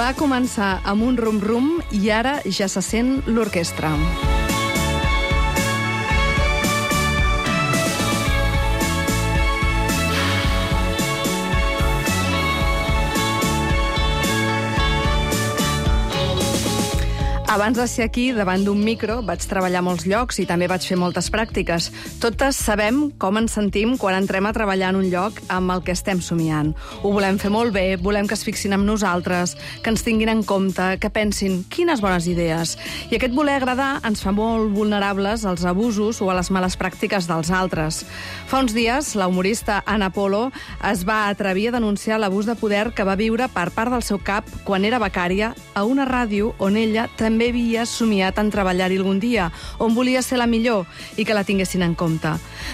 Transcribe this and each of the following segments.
Va començar amb un rum-rum i ara ja se sent l'orquestra. Abans de ser aquí, davant d'un micro, vaig treballar a molts llocs i també vaig fer moltes pràctiques. Totes sabem com ens sentim quan entrem a treballar en un lloc amb el que estem somiant. Ho volem fer molt bé, volem que es fixin en nosaltres, que ens tinguin en compte, que pensin quines bones idees. I aquest voler agradar ens fa molt vulnerables als abusos o a les males pràctiques dels altres. Fa uns dies, la humorista Ana Polo es va atrevir a denunciar l'abús de poder que va viure per part del seu cap quan era becària a una ràdio on ella també havia somiat en treballar-hi algun dia, on volia ser la millor i que la tinguessin en compte.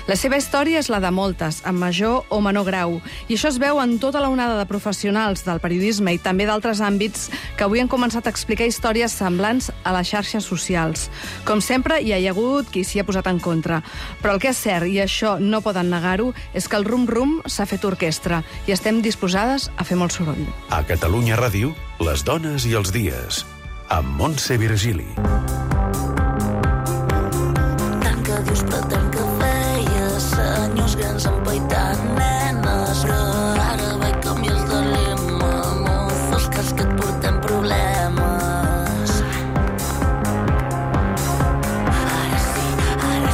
La seva història és la de moltes, en major o menor grau, i això es veu en tota la onada de professionals del periodisme i també d'altres àmbits que avui han començat a explicar històries semblants a les xarxes socials. Com sempre, hi ha hagut qui s'hi ha posat en contra, però el que és cert, i això no poden negar-ho, és que el rum-rum s'ha fet orquestra i estem disposades a fer molt soroll. A Catalunya Ràdio, les dones i els dies, amb Montse Virgili. Tant que dius però tant que feies, senyors grans empaitant nenes, que ara vaig canvies de lema, no fos cas que et portem problemes. Ara sí, anda.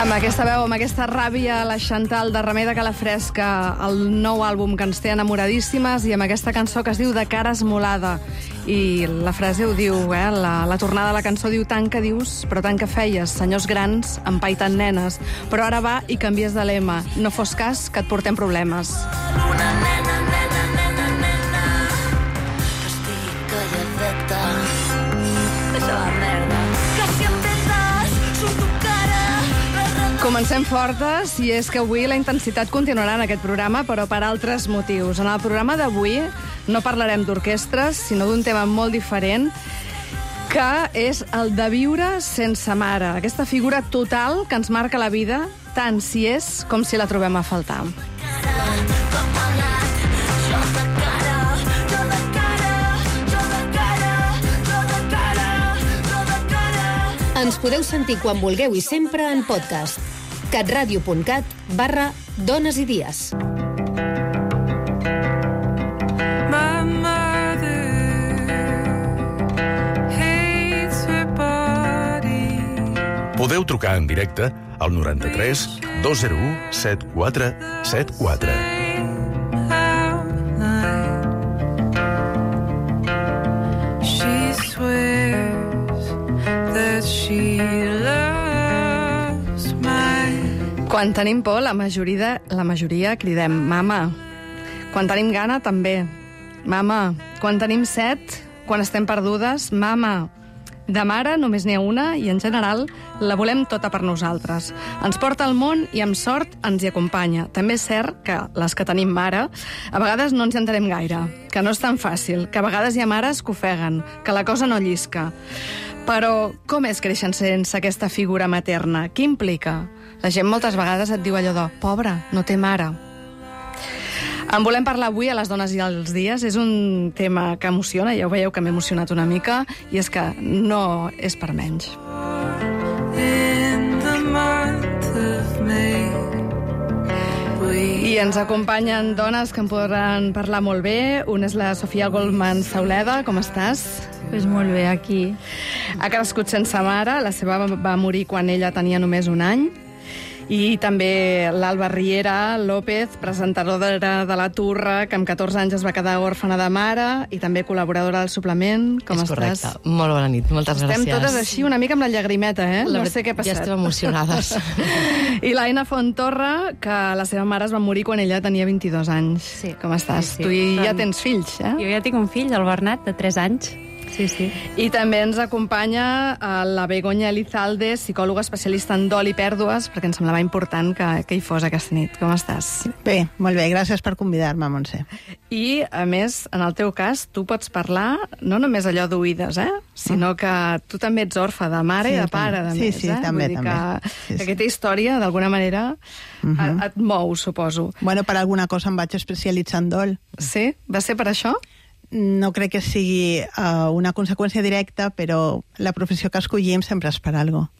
Amb aquesta veu, amb aquesta ràbia, la Chantal de Remei de Calafresca, el nou àlbum que ens té enamoradíssimes, i amb aquesta cançó que es diu De cara esmolada. I la frase ho diu, la tornada de la cançó diu tant que dius, però tant que feies, senyors grans empaitant nenes, però ara va i canvies de lema, no fos cas que et portem problemes. Una nena, que estic calladeta, és la merda, que si em petes, surto cara. Comencem fortes, i és que avui la intensitat continuarà en aquest programa, però per altres motius. En el programa d'avui no parlarem d'orquestres, sinó d'un tema molt diferent, que és el de viure sense mare. Aquesta figura total que ens marca la vida, tant si és com si la trobem a faltar. Ens podeu sentir quan vulgueu i sempre en podcast. catradio.cat/dones i dies. Podeu trucar en directe al 93 201 7474. Quan tenim por, la majoria cridem mama. Quan tenim gana, també. Mama. Quan tenim set, quan estem perdudes, mama. De mare només n'hi ha una i, en general, la volem tota per nosaltres. Ens porta al món i, amb sort, ens hi acompanya. També és cert que les que tenim mare, a vegades no ens hi entenem gaire, que no és tan fàcil, que a vegades hi ha mares que ofeguen, que la cosa no llisca. Però com és créixer sense aquesta figura materna? Què implica? La gent moltes vegades et diu allò de «Pobra, no té mare». En volem parlar avui a les dones i als dies. És un tema que emociona, ja ho veieu que m'he emocionat una mica, i és que no és per menys. I ens acompanyen dones que en podran parlar molt bé. Una és la Sofia Goldman Sauleda. Com estàs? Pues molt bé, aquí. Ha crescut sense mare. La seva va morir quan ella tenia només un any. I també l'Alba Riera López, presentadora de La Turra, que amb 14 anys es va quedar òrfana de mare, i també col·laboradora del suplement. Com estàs? És correcte. Molt bona nit, moltes gràcies. Estem totes així, una mica amb la llagrimeta, no sé què ha passat. Ja estem emocionades. I l'Aina Fontorra, que la seva mare es va morir quan ella tenia 22 anys. Sí. Com estàs? Sí. Tu ja tens fills, Jo ja tinc un fill, el Bernat, de 3 anys. Sí. I també ens acompanya la Begoña Elizalde, psicòloga especialista en dol i pèrdues, perquè ens semblava important que hi fos aquesta nit. Com estàs? Bé, molt bé, gràcies per convidar-me, Montse. I, a més, en el teu cas, tu pots parlar no només allò d'oïdes, sinó que tu també ets orfe de mare i de pare, a més. Sí, també, Vull dir també. que aquesta història, d'alguna manera, et mou, suposo. Bueno, per alguna cosa em vaig especialitzar en dol. Sí? Va ser per això? No crec que sigui una conseqüència directa, però la professió que escollim sempre és per alguna cosa.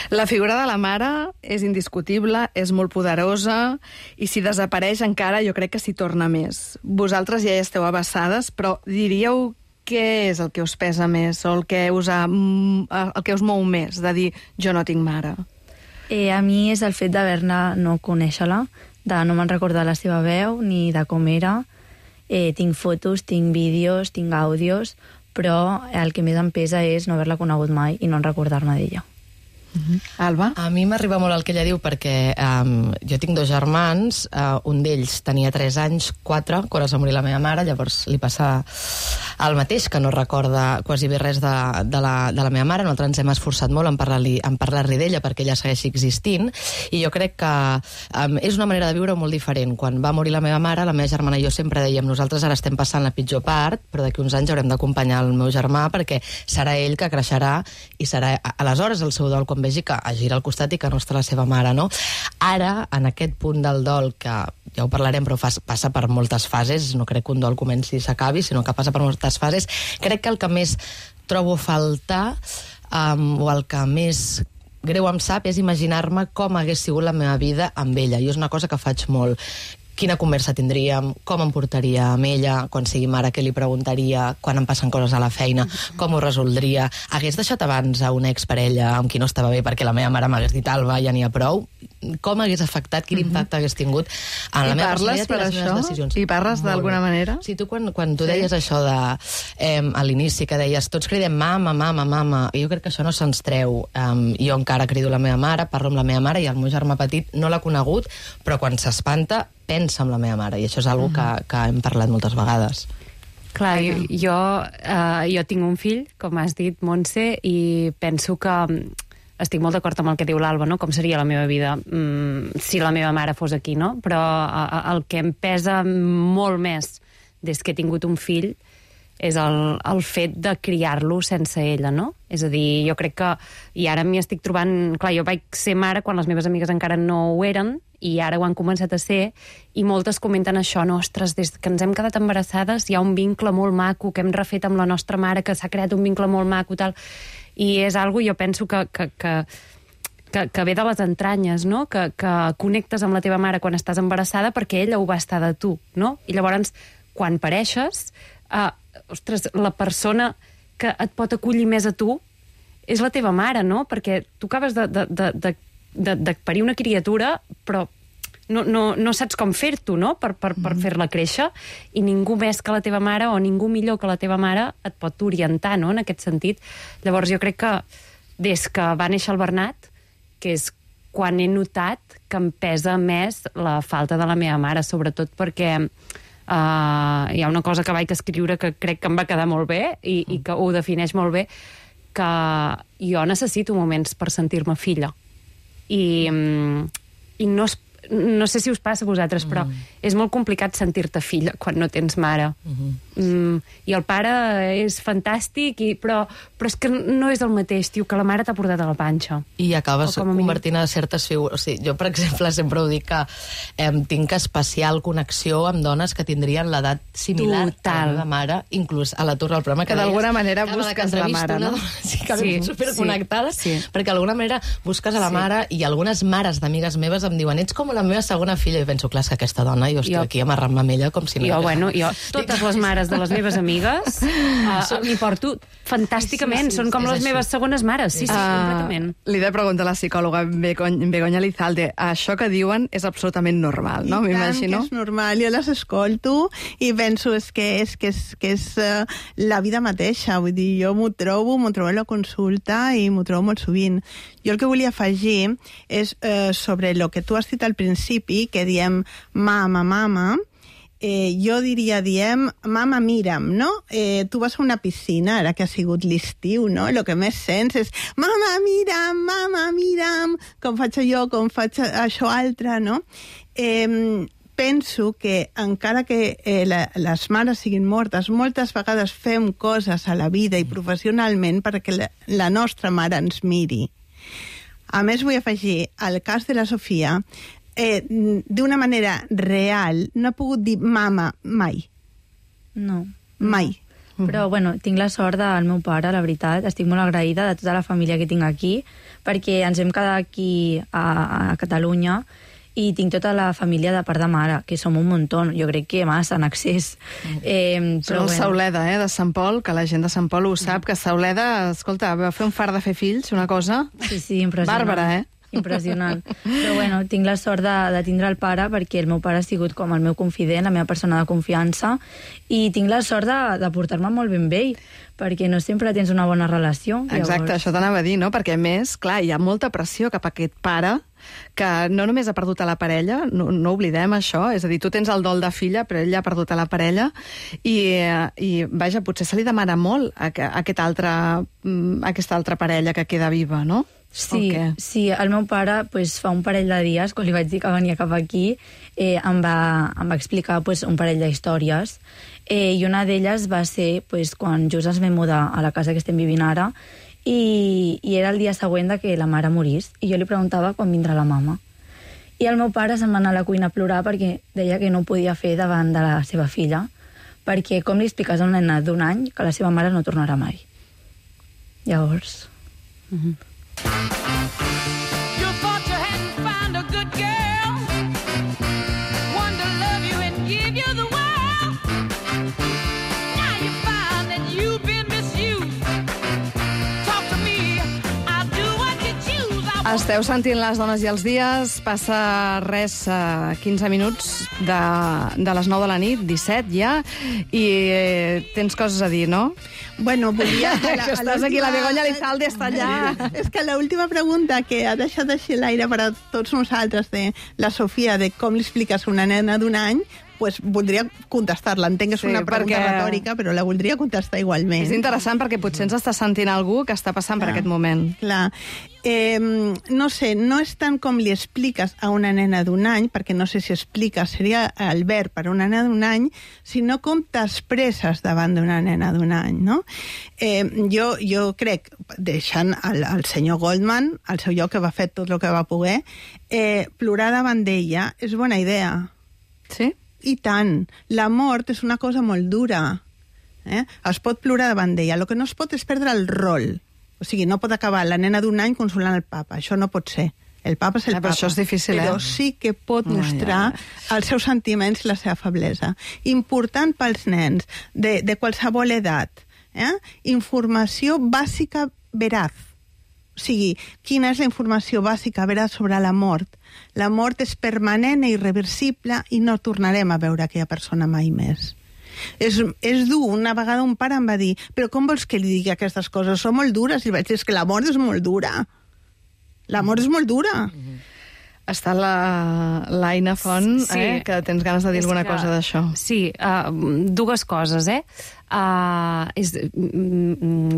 La figura de la mare és indiscutible, és molt poderosa, i si desapareix encara jo crec que s'hi torna més. Vosaltres ja hi esteu abassades, però diríeu què és el que us pesa més o el que us mou més, de dir jo no tinc mare? A mi és el fet d'haver-ne no conèixer-la, de no me'n recordar la seva veu ni de com era. Tinc fotos, tinc vídeos, tinc àudios, però el que més em pesa és no haver-la conegut mai i no recordar-me d'ella. Alba? A mi m'arriba molt el que ella diu perquè jo tinc 2 germans, un d'ells tenia 3 anys, 4, quan es va morir la meva mare, llavors li passa el mateix, que no recorda quasi bé res de la meva mare. Nosaltres ens hem esforçat molt en parlar-li d'ella perquè ella segueixi existint, i jo crec que és una manera de viure molt diferent. Quan va morir la meva mare, la meva germana i jo sempre dèiem nosaltres ara estem passant la pitjor part, però d'aquí uns anys haurem d'acompanyar el meu germà perquè serà ell que creixerà i serà aleshores el seu dol quan vegi que es gira al costat i que no està la seva mare, no? Ara, en aquest punt del dol, que ja ho parlarem, però passa per moltes fases, no crec que un dol comenci i s'acabi, sinó que passa per moltes fases, crec que el que més trobo a faltar, o el que més greu em sap, és imaginar-me com hagués sigut la meva vida amb ella, i és una cosa que faig molt. Quina conversa tindríem, com em portaria amb ella, quan sigui mare, què li preguntaria, quan em passen coses a la feina, com ho resoldria, hagués deixat abans a una exparella amb qui no estava bé perquè la meva mare m'hagués dit Alba, ja n'hi ha prou, com hagués afectat, quin impacte hagués tingut en la meva personalitat i les meves decisions. I parles d'alguna manera? Sí, tu quan tu deies això de a l'inici, que deies tots cridem mama, mama, mama, i jo crec que això no se'ns treu. Jo encara crido la meva mare, parlo amb la meva mare, i el meu germà petit no l'ha conegut, però quan s'espanta pensa amb la meva mare, i això és una cosa que hem parlat moltes vegades. Clar, jo tinc un fill, com has dit, Montse, i penso que estic molt d'acord amb el que diu l'Alba, no? Com seria la meva vida si la meva mare fos aquí, no? Però el que em pesa molt més des que he tingut un fill és el fet de criar-lo sense ella, no? És a dir, jo crec que... I ara m'hi estic trobant... Clar, jo vaig ser mare quan les meves amigues encara no ho eren, i ara ho han començat a ser, i moltes comenten això, no, ostres, des que ens hem quedat embarassades hi ha un vincle molt maco que hem refet amb la nostra mare, que s'ha creat un vincle molt maco, tal... I és algo, jo penso que ve de les entranyes, no? Que connectes amb la teva mare quan estàs embarassada perquè ella ho va estar de tu, no? I llavors, quan pareixes, ostres, la persona que et pot acollir més a tu és la teva mare, no? Perquè tu acabes de parir una criatura, però no saps com fer-t'ho, no? Per fer-la créixer, i ningú més que la teva mare o ningú millor que la teva mare et pot orientar, no? En aquest sentit. Llavors jo crec que des que va néixer el Bernat, que és quan he notat que em pesa més la falta de la meva mare, sobretot perquè hi ha una cosa que vaig escriure que crec que em va quedar molt bé i que ho defineix molt bé, que jo necessito moments per sentir-me filla. I no sé si us passa a vosaltres, però és molt complicat sentir-te filla quan no tens mare. I el pare és fantàstic, però és que no és el mateix, tio, que la mare t'ha portat a la panxa. I acabes convertint a certes figures. O sigui, jo, per exemple, sempre ho dic que tinc especial connexió amb dones que tindrien l'edat similar a la meva mare, inclús a l'atur del programa que d'alguna manera busques la mare, no? Sí, que superconnectades, perquè d'alguna manera busques a la mare, i algunes mares d'amigues meves em diuen ets com la meva segona filla, i penso, clar, és que aquesta dona jo estic aquí amarrant-me amb ella com si no... Jo, totes les mares de les meves amigues m'hi porto fantàsticament, són com les meves segones mares, sí, completament. Li he de preguntar a la psicòloga Begoña Elizalde, això que diuen és absolutament normal, no? M'imagino. I tant que és normal, jo les escolto i penso que és la vida mateixa, vull dir, jo m'ho trobo a la consulta i m'ho trobo molt sovint. Jo el que volia afegir és sobre el que tu has dit al principi, que diem mama, jo diem, mama, mira'm, no? Tu vas a una piscina, ara que ha sigut l'estiu, no? El que més sents és mama, mira'm, com faig jo, com faig això altre, no? Penso que, encara que les mares siguin mortes, moltes vegades fem coses a la vida i professionalment perquè la nostra mare ens miri. A més, vull afegir, al cas de la Sofia, d'una manera real, no ha pogut dir mama mai. No. Mai. Però, bueno, tinc la sort del meu pare, la veritat. Estic molt agraïda de tota la família que tinc aquí, perquè ens hem quedat aquí a Catalunya i tinc tota la família de part de mare, que som un muntó, jo crec que massa en excés. Però el Sauleda, de Sant Pol, que la gent de Sant Pol ho sap, que Sauleda, escolta, va fer un fart de fer fills, una cosa... Sí, impressionant. Bàrbara, Impressionant. Però bueno, tinc la sort de tindre el pare perquè el meu pare ha sigut com el meu confident, la meva persona de confiança, i tinc la sort de portar-me molt ben bé, perquè no sempre tens una bona relació. Exacte, això t'anava a dir, no? Perquè, a més, clar, hi ha molta pressió cap a aquest pare que no només ha perdut a la parella, no oblidem això, és a dir, tu tens el dol de filla, però ell ja ha perdut a la parella, i vaja, potser se li demana molt a aquesta altra parella que queda viva, no? Sí, el meu pare fa un parell de dies, quan li vaig dir que venia cap aquí, em va explicar un parell d'històries, i una d'elles va ser quan just ens vam mudar a la casa que estem vivint ara, i era el dia següent que la mare morís, i jo li preguntava quan vindrà la mama. I el meu pare se'n va anar a la cuina a plorar perquè deia que no ho podia fer davant de la seva filla, perquè com li expliques a una nena d'1 any que la seva mare no tornarà mai. Llavors... You thought you hadn't found a good girl, one to love you and give you the world. Now you find that you've been misused. Talk to me, I'll do what you choose. Esteu sentint Les dones i els dies, passa res, 15 minuts de les 9 de la nit, 17 ja, i tens coses a dir, no? Bueno, volia... Que estàs aquí, la Begoña Lizalde està allà. És que l'última pregunta que ha deixat així l'aire per a tots nosaltres de la Sofia, de com li expliques a una nena d'1 any, voldria contestar-la. Entenc que és una pregunta retòrica, però la voldria contestar igualment. És interessant perquè potser ens està sentint algú que està passant per aquest moment. Clar. No sé, no és tant com li expliques a una nena d'1 any, perquè no sé si expliques, seria el verb per a una nena d'1 any, sinó com t'expresses davant d'una nena d'1 any, no? Jo crec, deixant el senyor Goldman, al seu lloc, que va fer tot el que va poder, plorar davant d'ella és bona idea. Sí? I tant. La mort és una cosa molt dura. Es pot plorar davant d'ella. El que no es pot és perdre el rol. O sigui, no pot acabar la nena d'1 any consolant el papa. Això no pot ser. El papa és el papa. Això és difícil, però sí que pot mostrar els seus sentiments i la seva feblesa. Important pels nens de qualsevol edat. Informació bàsica veraz. O sigui, quina és la informació bàsica veraz sobre la mort? La mort és permanent i irreversible i no tornarem a veure aquella persona mai més. És dur. Una vegada un pare em va dir, però com vols que li digui aquestes coses? Són molt dures. I vaig dir, és que la mort és molt dura. La mort és molt dura. Està l'Aina Font, que tens ganes de dir alguna cosa d'això. Sí, dues coses,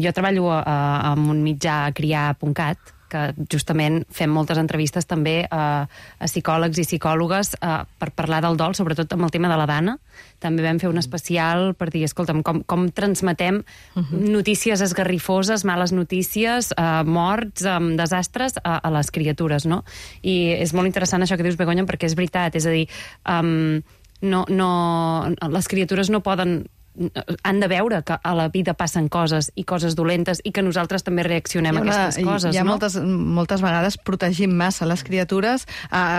Jo treballo en un mitjà criar.cat, que justament fem moltes entrevistes també a psicòlegs i psicòlogues per parlar del dol, sobretot amb el tema de la Dana. També vam fer un especial per dir, escolta'm, com transmetem notícies esgarrifoses, males notícies, morts, desastres a les criatures, no? I és molt interessant això que dius, Begoña, perquè és veritat, és a dir, les criatures no poden... han de veure que a la vida passen coses i coses dolentes i que nosaltres també reaccionem a aquestes coses, no? Moltes Moltes vegades protegim massa les criatures.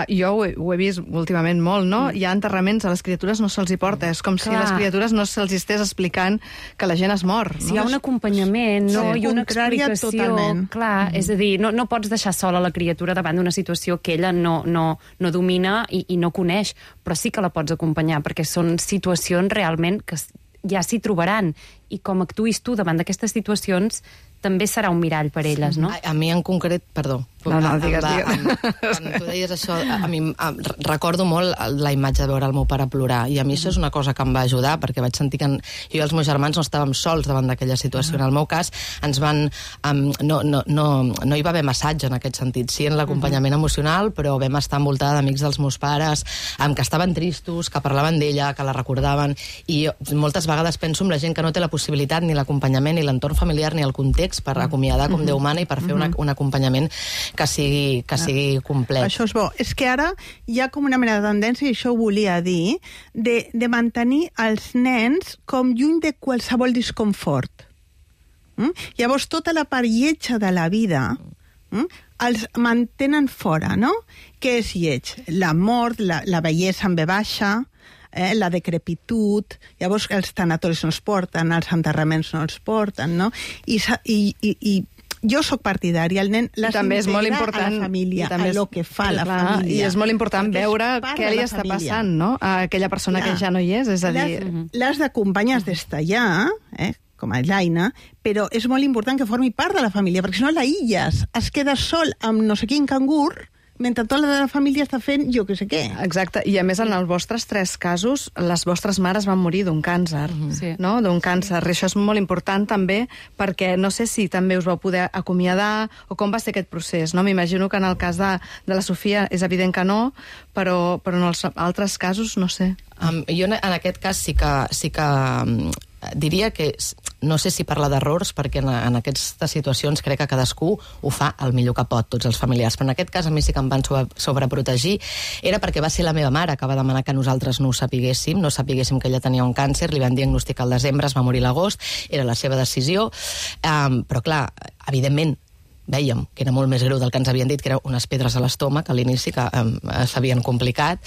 Jo ho he vist últimament molt, no? Hi ha enterraments, a les criatures no se'ls hi porta. És com si a les criatures no se'ls estés explicant que la gent es mor. Si hi ha un acompanyament, no? I una explicació. Totalment. Clar, és a dir, no pots deixar sola la criatura davant d'una situació que ella no domina i no coneix, però sí que la pots acompanyar, perquè són situacions realment que ja s'hi trobaran, i com actuïs tu davant d'aquestes situacions també serà un mirall per elles, no? A mi en concret, perdó, No, digues. Quan tu deies això, a mi recordo molt la imatge de veure el meu pare plorar, i a mi això és una cosa que em va ajudar, perquè vaig sentir que jo i els meus germans no estàvem sols davant d'aquella situació. En el meu cas, ens van... No hi va haver massatge en aquest sentit, sí en l'acompanyament emocional, però vam estar envoltada d'amics dels meus pares, que estaven tristos, que parlaven d'ella, que la recordaven, i moltes vegades penso en la gent que no té la possibilitat, ni l'acompanyament, ni l'entorn familiar, ni el context per acomiadar com Déu mana i per fer un acompanyament que sigui complet. Això és bo. És que ara hi ha com una mena de tendència, i això ho volia dir, de mantenir els nens com lluny de qualsevol disconfort. Llavors, tota la part lletja de la vida els mantenen fora, no? Què és lleig? La mort, la bellesa en ve baixa, la decrepitud, llavors els tanatoris no els porten, els enterraments no els porten, no? I jo sóc partidària, el nen les integra a la família, a lo que fa la família. I és molt important veure què li està passant, no? A aquella persona que ja no hi és, a dir... Les d'acompanyes des d'allà, com a l'Aina, però és molt important que formi part de la família, perquè si no l'aïlles, es queda sol amb no sé quin cangur, mentre tota la família està fent jo que sé què. Exacte, i a més en els vostres 3 casos, les vostres mares van morir d'un càncer, no? D'un càncer. I això és molt important també, perquè no sé si també us vau poder acomiadar, o com va ser aquest procés, no? M'imagino que en el cas de la Sofia és evident que no, però en els altres casos no sé. Jo en aquest cas sí que diria que no sé si parlar d'errors, perquè en aquestes situacions crec que cadascú ho fa el millor que pot, tots els familiars, però en aquest cas a mi sí que em van sobreprotegir, era perquè va ser la meva mare que va demanar que nosaltres no ho sapiguéssim que ella tenia un càncer, li van diagnosticar al desembre, es va morir a l'agost, era la seva decisió, però clar, evidentment vèiem que era molt més greu del que ens havien dit, que eren unes pedres a l'estómac a l'inici que s'havien complicat,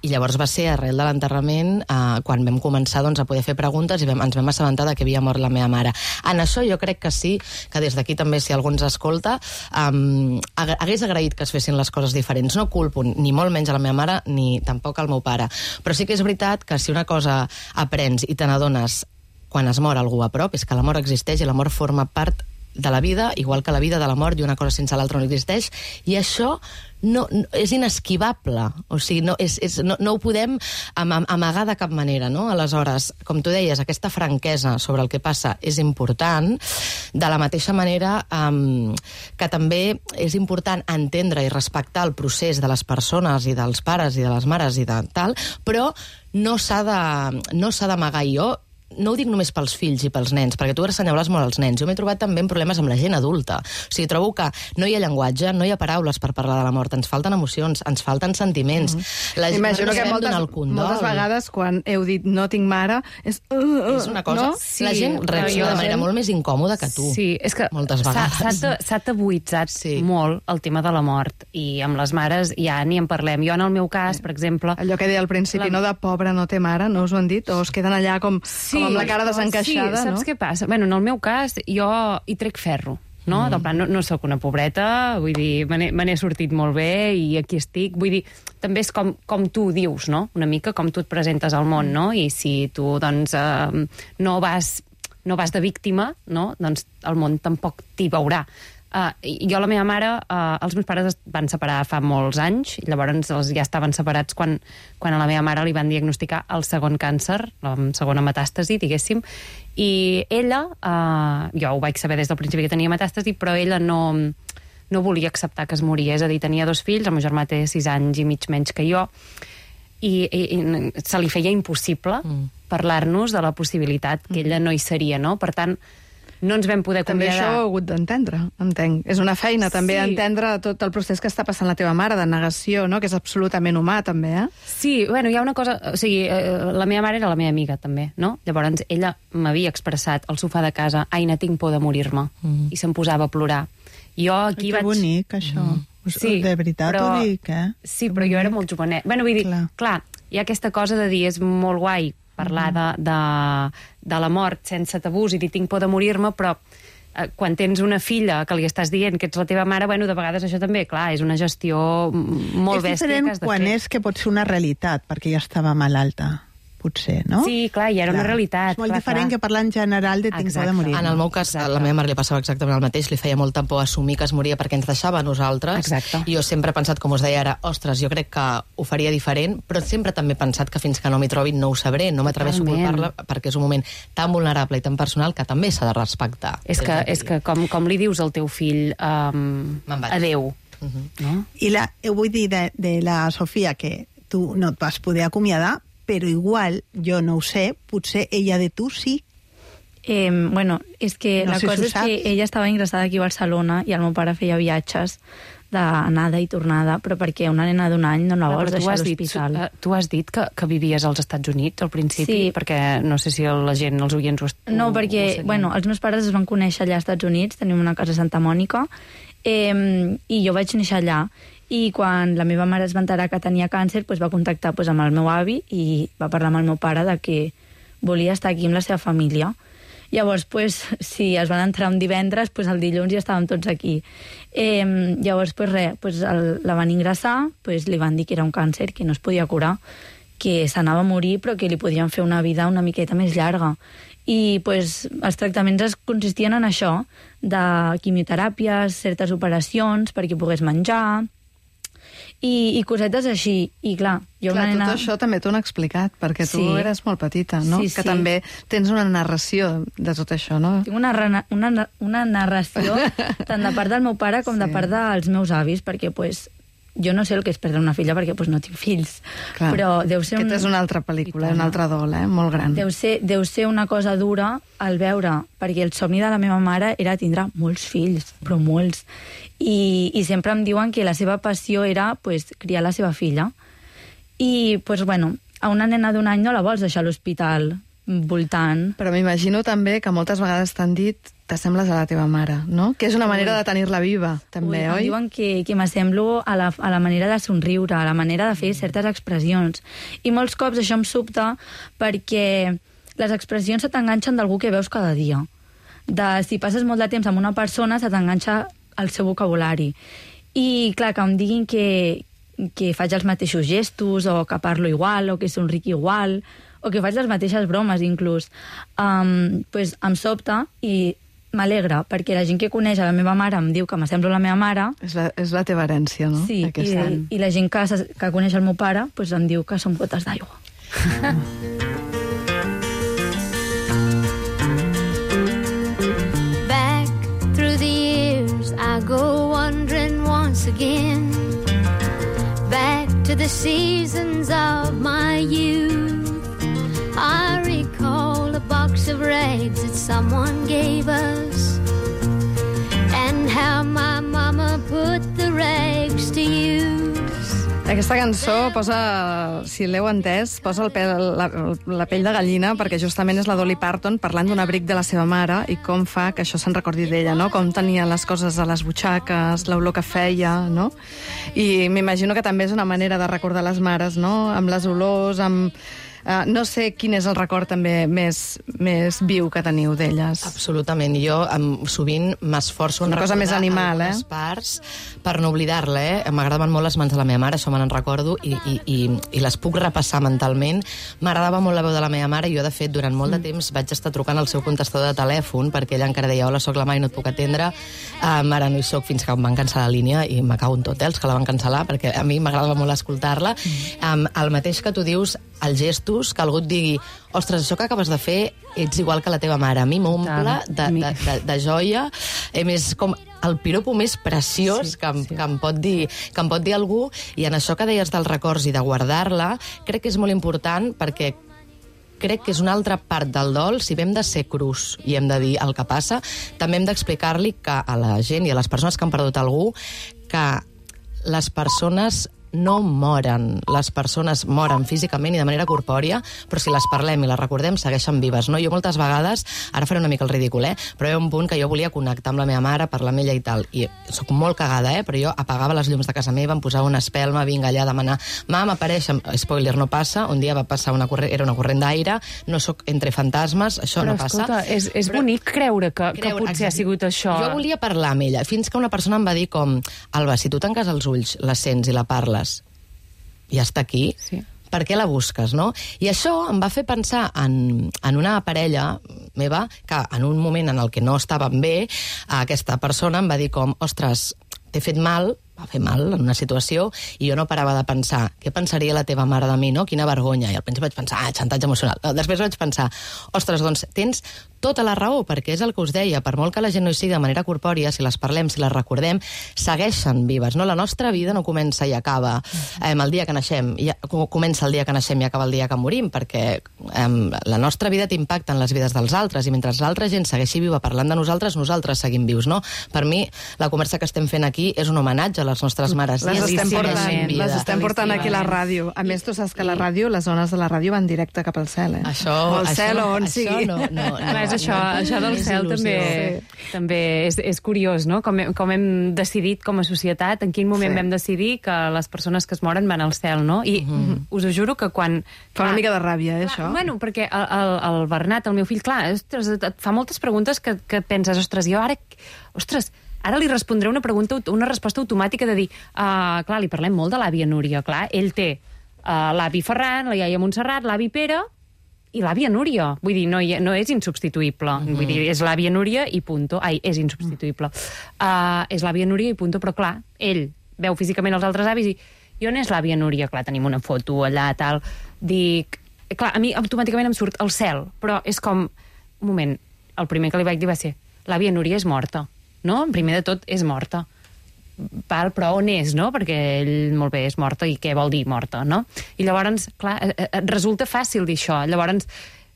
i llavors va ser arrel de l'enterrament quan vam començar a poder fer preguntes i ens vam assabentar que havia mort la meva mare. En això jo crec que sí, que des d'aquí també, si algú ens escolta, hagués agraït que es fessin les coses diferents. No culpo ni molt menys a la meva mare ni tampoc al meu pare, però sí que és veritat que si una cosa aprens i te n'adones quan es mor algú a prop, és que la mort existeix i la mort forma part de la vida, igual que la vida de la mort, i una cosa sense l'altra no existeix, i això no és inesquivable, o sigui, no ho podem amagar de cap manera, no? Aleshores, com tu deies, aquesta franquesa sobre el que passa és important, de la mateixa manera que també és important entendre i respectar el procés de les persones i dels pares i de les mares i de tal, però no s'ha d'amagar. Jo no ho dic només pels fills i pels nens, perquè tu assenyales molt als nens. Jo m'he trobat també problemes amb la gent adulta. O sigui, trobo que no hi ha llenguatge, no hi ha paraules per parlar de la mort, ens falten emocions, ens falten sentiments. Imagino que moltes vegades quan heu dit no tinc mare, és una cosa... No? Sí, la gent reacciona de manera molt més incòmoda que tu. Sí, és que moltes vegades s'ha tabuïtzat molt el tema de la mort, i amb les mares ja ni en parlem. Jo, en el meu cas, per exemple... Allò que deia al principi, no de pobre no té mare, no us ho han dit? O es queden allà com amb la cara desencaixada, sí, saps què passa? Bueno, en el meu cas, jo hi trec ferro, no? Del plan, no sóc una pobreta, vull dir, me n'he sortit molt bé i aquí estic. Vull dir, també és com tu dius, no? Una mica com tu et presentes al món, no? I si tu, doncs, no vas de víctima, no? Doncs el món tampoc t'hi veurà. Jo, la meva mare, els meus pares es van separar fa molts anys, i llavors ja estaven separats quan a la meva mare li van diagnosticar el segon càncer, la segona metàstasi, diguéssim, i ella, jo ho vaig saber des del principi que tenia metàstasi, però ella no volia acceptar que es moria, és a dir, tenia 2 fills, el meu germà té 6 anys i mig menys que jo, i se li feia impossible parlar-nos de la possibilitat que ella no hi seria, no? Per tant, no ens vam poder acomiadar. També això ho he hagut d'entendre, entenc. És una feina també entendre tot el procés que està passant la teva mare, de negació, no? Que és absolutament humà, també, Sí, bueno, hi ha una cosa... O sigui, la meva mare era la meva amiga, també, no? Llavors, ella m'havia expressat al sofà de casa, Aina, tinc por de morir-me, i se'm posava a plorar. Jo aquí vaig... Que bonic, això. Sí, de veritat ho dic, Sí, però jo era molt jovenet. Bueno, vull dir, clar, hi ha aquesta cosa de dir, és molt guai parlar de la mort sense tabús i dir tinc por de morir-me, però quan tens una filla que li estàs dient que ets la teva mare, bueno, de vegades això també, clar, és una gestió molt bèstia que has de fer. És diferent quan és que pot ser una realitat, perquè ja estava malalta. potser, no? Sí, clar, i era una realitat. És molt clar, diferent clar. que parlar en general de tinc por de morir. En el meu cas, a la meva mare li passava exactament el mateix, li feia molta por assumir que es moria perquè ens deixava a nosaltres. Exacte. I jo sempre he pensat, com us deia ara, ostres, jo crec que ho faria diferent, però sempre també he pensat que fins que no m'hi trobi no ho sabré, no m'atreveixo a culpar-la perquè és un moment tan vulnerable i tan personal que també s'ha de respectar. És que com li dius al teu fill adeu, no? I vull dir de la Sofia que tu no et vas poder acomiadar, però igual, jo no ho sé, potser ella de tu sí. Bueno, és que No la sé cosa si ho és que saps. ella estava ingressada aquí a Barcelona i el meu pare feia viatges d'anada i tornada, però perquè una nena d'un any no la vols deixar a l'hospital. Tu has dit que vivies als Estats Units al principi, Sí. perquè no sé si la gent, els oients No, perquè, bueno, els meus pares es van conèixer allà als Estats Units, tenim una casa a Santa Mònica, i jo vaig néixer allà. I quan la meva mare es va enterar que tenia càncer, doncs va contactar amb el meu avi i va parlar amb el meu pare de que volia estar aquí amb la seva família. Llavors, si es van entrar un divendres, el dilluns ja estàvem tots aquí. Llavors, la van ingressar, li van dir que era un càncer, que no es podia curar, que s'anava a morir, però que li podien fer una vida una miqueta més llarga. I els tractaments consistien en això, de quimioteràpies, certes operacions perquè pogués menjar, i cosetes així. I clar, jo Clar, una nena... tot això també t'ho han explicat, perquè tu Sí. eres molt petita, no? Sí, Que sí. també tens una narració de tot això, no? Tinc una narració tant de part del meu pare com de part dels meus avis, perquè jo no sé el que és perdre una filla perquè no tinc fills. Clar. Però deu ser Aquesta és una altra pel·lícula, un altre dol, molt gran. Deu ser una cosa dura al veure, perquè el somni de la meva mare era tindre molts fills, però molts. I sempre em diuen que la seva passió era criar la seva filla. I, a una nena d'un any no la vols deixar a l'hospital voltant. Però m'imagino també que moltes vegades t'han dit t'assembles a la teva mare, no? Que és una manera de tenir-la viva, també, Em oi? diuen que m'assemblo a la manera de somriure, a la manera de fer certes expressions. I molts cops això em sobta perquè les expressions se t'enganxen d'algú que veus cada dia. Si passes molt de temps amb una persona, se t'enganxa el seu vocabulari. I, clar, que em diguin que faig els mateixos gestos, o que parlo igual, o que somric igual, o que faig les mateixes bromes, inclús. Em sobta i m'alegra, perquè la gent que coneix a la meva mare em diu que m'assemblo a la meva mare. És la teva herència, no? Sí, i la gent que coneix el meu pare em diu que som gotes d'aigua. Back through the years I go wandering once again, back to the seasons of my youth. I recall a box of rags that someone gave us, and how my mama put the rags to use. Aquesta cançó posa, si l'heu entès, posa la pell de gallina, perquè justament és la Dolly Parton parlant d'un abric de la seva mare i com fa que això se'n recordi d'ella, no? Com tenia les coses a les butxaques, l'olor que feia, no? I m'imagino que també és una manera de recordar les mares, no? Amb les olors, amb... no sé quin és el record també més viu que teniu d'elles. Absolutament. Jo sovint m'esforço en una cosa més animal, algunes parts per no oblidar-la. M'agradaven molt les mans de la meva mare, això me n'en recordo, i les puc repassar mentalment. M'agradava molt la veu de la meva mare i jo, de fet, durant molt de temps vaig estar trucant al seu contestador de telèfon perquè ella encara deia: hola, soc la Mai, no et puc atendre. Ara no hi soc, fins que em van cancel·lar la línia i me cago en tot, els que la van cancel·lar, perquè a mi m'agradava molt escoltar-la. El mateix que tu dius, els gestos, que algú et digui: ostres, això que acabes de fer ets igual que la teva mare. A mi m'omple de joia. És com el piropo més preciós que em pot dir algú. I en això que deies dels records i de guardar-la, crec que és molt important, perquè crec que és una altra part del dol. Si hem de ser crus i hem de dir el que passa, també hem d'explicar-li que a la gent i a les persones que han perdut algú que les persones no moren. Les persones moren físicament i de manera corpòria, però si les parlem i les recordem, segueixen vives, no? Jo moltes vegades, ara faré una mica el ridícul, però hi ha un punt que jo volia connectar amb la meva mare, parlar amb ella i tal, i sóc molt cagada, però jo apagava les llums de casa meva, em posava una espelma, vinga allà a demanar: mam, apareix, spoiler, no passa, un dia va passar era una corrent d'aire, no sóc entre fantasmes, això però, no passa. Però, escolta, és bonic creure que potser ha sigut això. Jo volia parlar amb ella, fins que una persona em va dir com: Alba, si tu tanques els ulls, la sents i la parles, ja està aquí, per què la busques, no? I això em va fer pensar en una parella meva que en un moment en el que no estàvem bé, aquesta persona em va dir com, ostres, t'he fet mal, va fer mal en una situació, i jo no parava de pensar, què pensaria la teva mare de mi, no? Quina vergonya. I al principi vaig pensar, xantatge emocional. Després vaig pensar, ostres, doncs tens tota la raó, perquè és el que us deia, per molt que la gent no hi sigui de manera corpòria, si les parlem, si les recordem, segueixen vives, no? La nostra vida no comença i acaba el dia que naixem, comença el dia que naixem i acaba el dia que morim, perquè la nostra vida t'impacta en les vides dels altres, i mentre l'altra gent segueixi viva parlant de nosaltres, nosaltres seguim vius, no? Per mi, la conversa que estem fent aquí és un homenatge a les nostres mares. Les estem portant aquí a la ràdio. A més, tu saps que la ràdio, les zones de la ràdio van directe cap al cel, eh? Això, al cel o on sigui. Això del cel també és curiós, no? Com hem decidit com a societat, en quin moment vam decidir que les persones que es moren van al cel, no? I us ho juro que quan... Fa una mica de ràbia, això. Bueno, perquè el Bernat, el meu fill, clar, ostres, et fa moltes preguntes que penses, ostres, jo ara... Ostres, ara li respondré una resposta automàtica de dir, clar, li parlem molt de l'àvia Núria, clar, ell té l'avi Ferran, la iaia Montserrat, l'avi Pere i l'àvia Núria. Vull dir, no és insubstituïble. Vull dir, és l'àvia Núria i punto. Ai, és insubstituïble. És l'àvia Núria i punto, però clar, ell veu físicament els altres avis i on és l'àvia Núria? Clar, tenim una foto allà, tal. Dic... Clar, a mi automàticament em surt el cel, però és com... Un moment, el primer que li vaig dir va ser l'àvia Núria és morta, no? Primer de tot, és morta. Però on és, no? Perquè ell, molt bé, és morta, i què vol dir morta, no? I llavors, clar, resulta fàcil dir això. Llavors,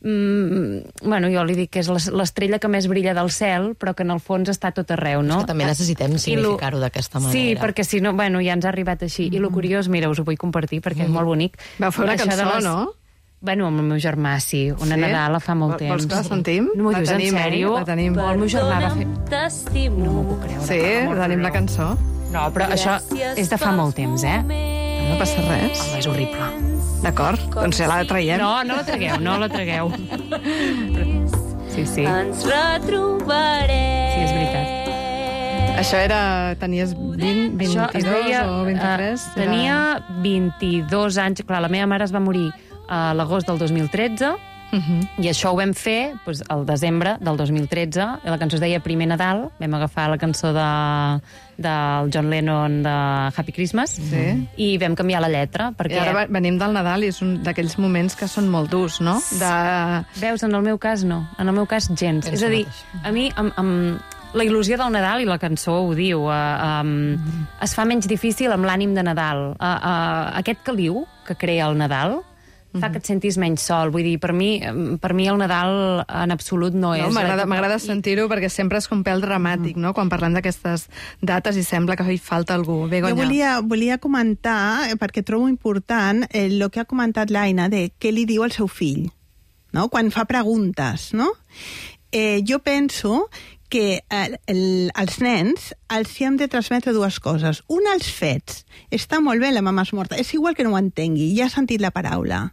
bueno, jo li dic que és l'estrella que més brilla del cel, però que en el fons està tot arreu, no? És que també necessitem significar-ho d'aquesta manera. Sí, perquè si no, bueno, ja ens ha arribat així. I lo curiós, mira, us ho vull compartir, perquè és molt bonic. Vau fer una cançó, no? Bueno, amb el meu germà, sí. Una Nadala fa molt temps. Vols que la sentim? No m'ho dius en sèrio? La tenim. El meu germà va fer... No m'ho puc creure. Sí, tenim la cançó. No, però això és de fa molt temps, eh? No passa res. Home, és horrible. D'acord, doncs ja la traiem. No la tragueu. Sí. Ens retrobarem. Sí, és veritat. Això era... Tenies 22 o 23? Tenia 22 anys. Clar, la meva mare es va morir a l'agost del 2013, i això ho vam fer el desembre del 2013. La cançó es deia Primer Nadal. Vam agafar la cançó del John Lennon de Happy Christmas, i vam canviar la lletra. I ara venim del Nadal i és un d'aquells moments que són molt durs, no? Veus, en el meu cas no. En el meu cas gens. És a dir, a mi... La il·lusió del Nadal, i la cançó ho diu, es fa menys difícil amb l'ànim de Nadal. Aquest caliu que crea el Nadal fa que et sentis menys sol. Vull dir, per mi el Nadal en absolut no és... M'agrada sentir-ho perquè sempre és com pèl dramàtic, no?, quan parlem d'aquestes dates i sembla que hi falta algú. Begoña. Jo volia comentar, perquè trobo important, el que ha comentat l'Aina de què li diu al seu fill, no?, quan fa preguntes, no? Jo penso que als nens els hem de transmetre dues coses. Una, els fets. Està molt bé, la mama és morta. És igual que no ho entengui, ja ha sentit la paraula.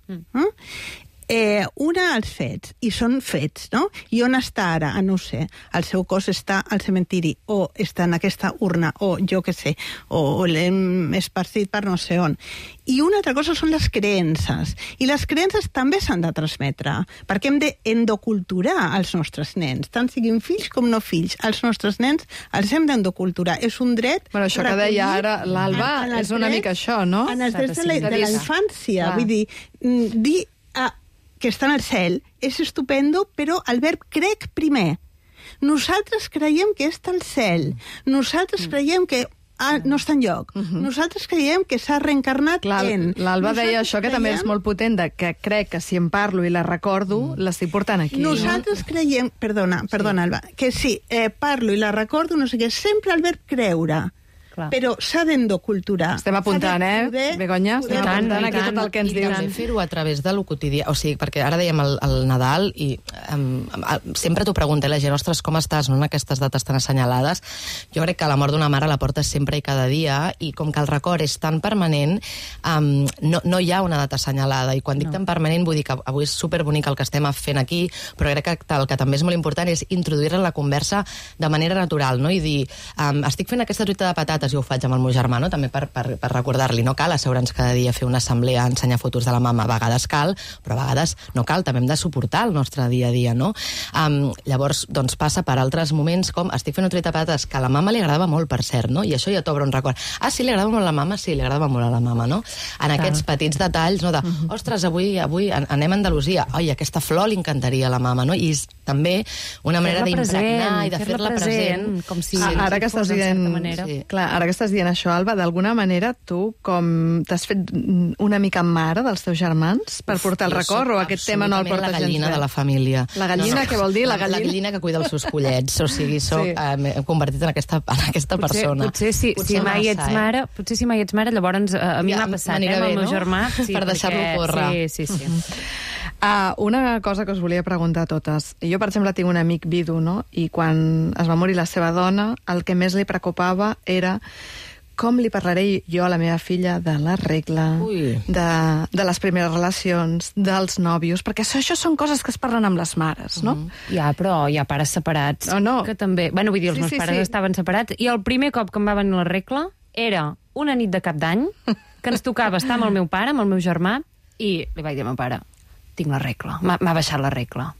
Una, els fets, i són fets, no? I on està ara? No ho sé. El seu cos està al cementiri, o està en aquesta urna, o jo què sé, o l'hem esparcit per no sé on. I una altra cosa són les creences. I les creences també s'han de transmetre, perquè hem d'endoculturar els nostres nens, tant siguin fills com no fills. Els nostres nens els hem d'endoculturar. És un dret... Bueno, això que deia ara l'Alba és una mica això, no? En els drets de la infància. Vull dir que està en el cel és estupendo, però el verb crec primer. Nosaltres creiem que està al cel. Nosaltres creiem que no està enlloc. Nosaltres creiem que s'ha reencarnat en... L'Alba deia això, que també és molt potent, que crec que si em parlo i la recordo, l'estic portant aquí. Nosaltres creiem... Perdona, Alba, que si parlo i la recordo, no sé què, sempre el verb creure. Clar. Però s'ha d'endoculturar. Estem apuntant, Begoña? Estem apuntant aquí tot el que ens dius. I també fer-ho a través de lo quotidià. O sigui, perquè ara dèiem el Nadal i sempre t'ho pregunta la gent, ostres, com estàs, no?, en aquestes dates tan assenyalades. Jo crec que la mort d'una mare la portes sempre i cada dia, i com que el record és tan permanent, no hi ha una data assenyalada. I quan dic tan permanent vull dir que avui és superbonic el que estem fent aquí, però crec que el que també és molt important és introduir-la en la conversa de manera natural, no? I dir, estic fent aquesta truita de patates, dates, i ho faig amb el meu germà, no? També per recordar-li, no cal asseure'ns cada dia a fer una assemblea, ensenyar fotos de la mama, a vegades cal, però a vegades no cal, també hem de suportar el nostre dia a dia, no? Llavors, doncs, passa per altres moments com estic fent un tret de patates, que a la mama li agradava molt, per cert, no? I això ja t'obre un record. Ah, sí, li agradava molt a la mama? Sí, li agradava molt a la mama, no? En aquests petits detalls, no? De, ostres, avui anem a Andalusia. Oi, aquesta flor li encantaria a la mama, no? I és també una manera d'impregnar i de fer-la present. Com si ara que estàs dient, clar, ara que estàs dient això, Alba, d'alguna manera tu com t'has fet una mica mare dels teus germans per portar el record, o aquest tema no el portes gens bé? La gallina de la família. La gallina, què vol dir? La gallina que cuida els seus pollets, o sigui, m'he convertit en aquesta persona. Potser si mai ets mare, llavors a mi m'ha passat, amb el meu germà. Per deixar-lo córrer. Sí. Una cosa que us volia preguntar a totes. Jo, per exemple, tinc un amic vidu, no? I quan es va morir la seva dona, el que més li preocupava era com li parlaré jo a la meva filla de la regla, de les primeres relacions, dels nòvios, perquè això són coses que es parlen amb les mares, no? Però hi ha pares separats. Que també... Bueno, vull dir, els meus pares estaven separats, i el primer cop que em va venir la regla era una nit de cap d'any, que ens tocava estar amb el meu pare, amb el meu germà, i li vaig dir al meu pare, tinc la regla, m'ha baixat la regla.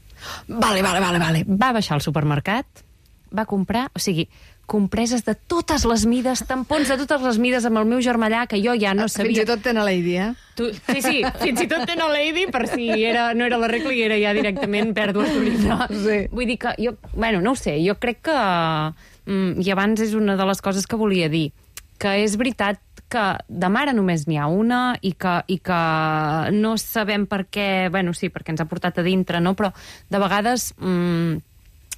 Vale. Va baixar al supermercat, va comprar, o sigui, compreses de totes les mides, tampons de totes les mides amb el meu germà allà, que jo ja no sabia... Fins i tot tenen Lady, Sí, fins i tot tenen Lady, per si no era la regla i era ja directament pèrdues d'orina. Vull dir que jo, no ho sé, jo crec que... I abans és una de les coses que volia dir, que és veritat que de mare només n'hi ha una i que no sabem per què... Sí, perquè ens ha portat a dintre, no? Però de vegades...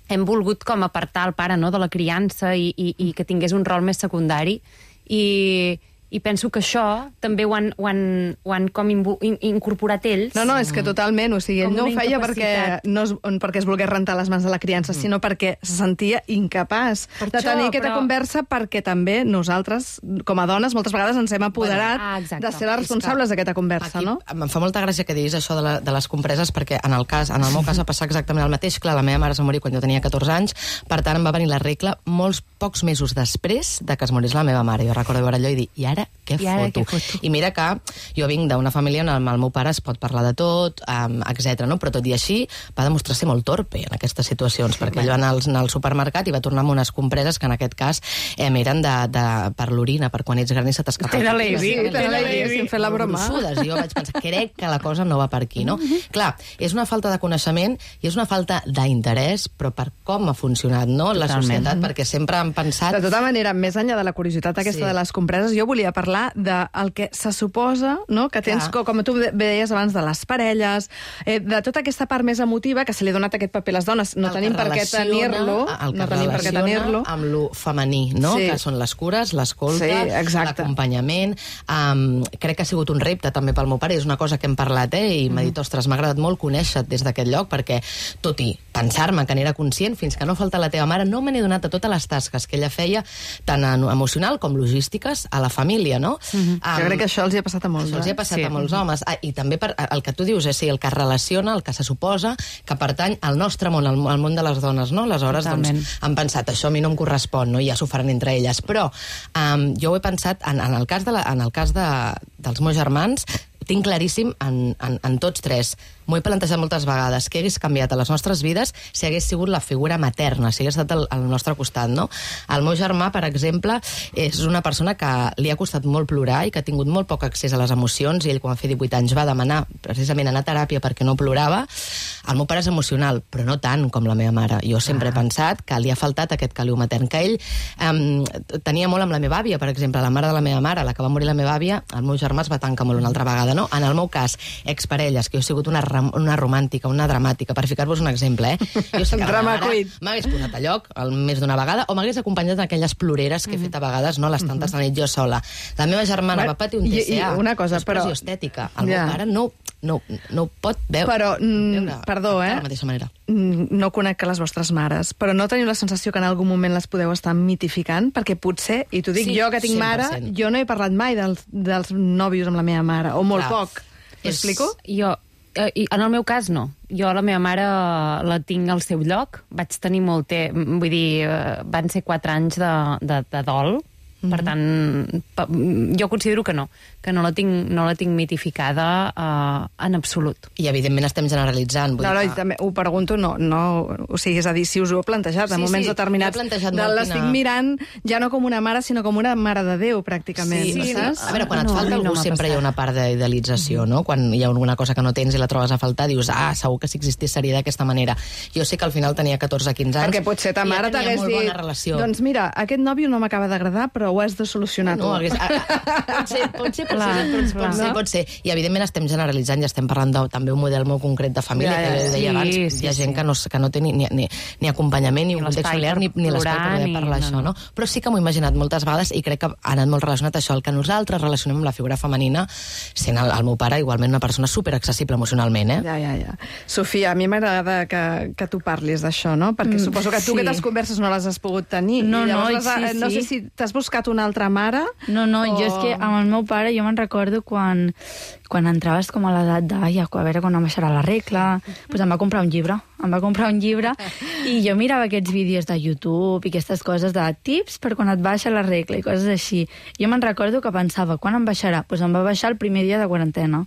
hem volgut com apartar el pare, no?, de la criança i que tingués un rol més secundari, i penso que això també ho han com incorporat ells. No, és que totalment, o sigui, ell no ho feia perquè es volgués rentar les mans de la criança, sinó perquè se sentia incapaç de tenir aquesta conversa, perquè també nosaltres, com a dones, moltes vegades ens hem apoderat de ser les responsables d'aquesta conversa, no? Em fa molta gràcia que diguis això de les compreses, perquè en el meu cas va passar exactament el mateix. Clar, la meva mare es va morir quan jo tenia 14 anys, per tant em va venir la regla molts pocs mesos després de que es morís la meva mare. Jo recordo veure allò i dir, i ara què foto? I mira que jo vinc d'una família on el meu pare es pot parlar de tot, etc. No? Però tot i així va demostrar ser molt torpe en aquestes situacions, perquè ell va anar al supermercat i va tornar amb unes compreses que en aquest cas eren per l'orina, per quan ets gran i se t'escapa. Té la Lady, fent la broma. I jo vaig pensar, crec que la cosa no va per aquí, no? Clar, és una falta de coneixement i és una falta d'interès, però per com ha funcionat, no?, la societat, perquè sempre han pensat... De tota manera, més enllà de la curiositat aquesta de les compreses, jo volia parlar del que se suposa, no?, que tens, com tu deies abans, de les parelles, de tota aquesta part més emotiva que se li ha donat aquest paper a les dones. No tenim per què tenir-lo. El que relaciona amb lo femení, no?, que són les cures, l'escolta, l'acompanyament. Crec que ha sigut un repte també pel meu pare, és una cosa que hem parlat, i m'ha dit, ostres, m'ha agradat molt conèixer-te des d'aquest lloc, perquè tot i pensar-me que n'era conscient, fins que no falta la teva mare, no me n'he donat a totes les tasques que ella feia, tant emocional com logístiques, a la família, no? Jo crec que això els hi ha passat a molts. Els hi ha passat a molts homes. I també el que tu dius, el que relaciona, el que se suposa, que pertany al nostre món, al món de les dones, no? Aleshores, doncs, han pensat, això a mi no em correspon, no? I ja s'ho faran entre elles. Però jo ho he pensat, en el cas dels meus germans, tinc claríssim en tots tres. M'ho he plantejat moltes vegades, què hagués canviat a les nostres vides si hagués sigut la figura materna, si hagués estat al nostre costat, no? El meu germà, per exemple, és una persona que li ha costat molt plorar i que ha tingut molt poc accés a les emocions, i ell, quan va fer 18 anys, va demanar precisament anar a teràpia perquè no plorava. El meu pare és emocional, però no tant com la meva mare. Jo sempre he pensat que li ha faltat aquest caliu matern, que ell tenia molt amb la meva àvia, per exemple, la mare de la meva mare, la que va morir la meva àvia, el meu germà es va tancar molt una altra vegada, no? En el meu cas, exparelles, que jo he sigut una romàntica, una dramàtica, per ficar-vos un exemple, Jo sé que m'hagués posat a lloc més d'una vegada, o m'hagués acompanyat en aquelles ploreres que he fet a vegades, no?, les tantes de nit jo sola. La meva germana va patir un TCA, una cosa, però estètica. El meu pare no ho pot veure. Però, perdó, de la mateixa manera. No conec les vostres mares, però no teniu la sensació que en algun moment les podeu estar mitificant? Perquè potser, i t'ho dic jo que tinc mare, jo no he parlat mai dels nòvios amb la meva mare, o molt poc. M'explico? En el meu cas, no. Jo la meva mare la tinc al seu lloc. Vaig tenir molt temps, vull dir, van ser 4 anys de dol, Per tant, jo considero que no la tinc mitificada en absolut. I evidentment estem generalitzant. No, i també ho pregunto, o sigui, és a dir, si us ho heu plantejat en moments determinats, l'estic mirant ja no com una mare, sinó com una mare de Déu, pràcticament. Sí, saps? A veure, quan et falta algú sempre hi ha una part d'idealització, no? Quan hi ha alguna cosa que no tens i la trobes a faltar, dius, segur que si existís seria d'aquesta manera. Jo sé que al final tenia 14-15 anys. Perquè potser ta mare t'hagués dit, doncs mira, aquest nòvio no m'acaba d'agradar, però ho has de solucionar tu. Pot ser. I evidentment estem generalitzant i estem parlant també un model molt concret de família, que deia abans, hi ha gent que no té ni acompanyament, ni un context familiar, ni l'espai per poder parlar això, no? Però sí que m'ho he imaginat moltes vegades i crec que ha anat molt relacionat això, el que nosaltres relacionem amb la figura femenina, sent el meu pare igualment una persona superaccessible emocionalment, Ja. Sofia, a mi m'agrada que tu parlis d'això, no? Perquè suposo que tu aquestes converses no les has pogut tenir. No, no sé si t'has buscat una altra mare... No, jo és que amb el meu pare jo me'n recordo quan entraves com a l'edat de, a veure quan em baixarà la regla, doncs em va comprar un llibre, i jo mirava aquests vídeos de YouTube i aquestes coses de tips per quan et baixa la regla i coses així. Jo me'n recordo que pensava, quan em baixarà? Doncs em va baixar el primer dia de quarantena.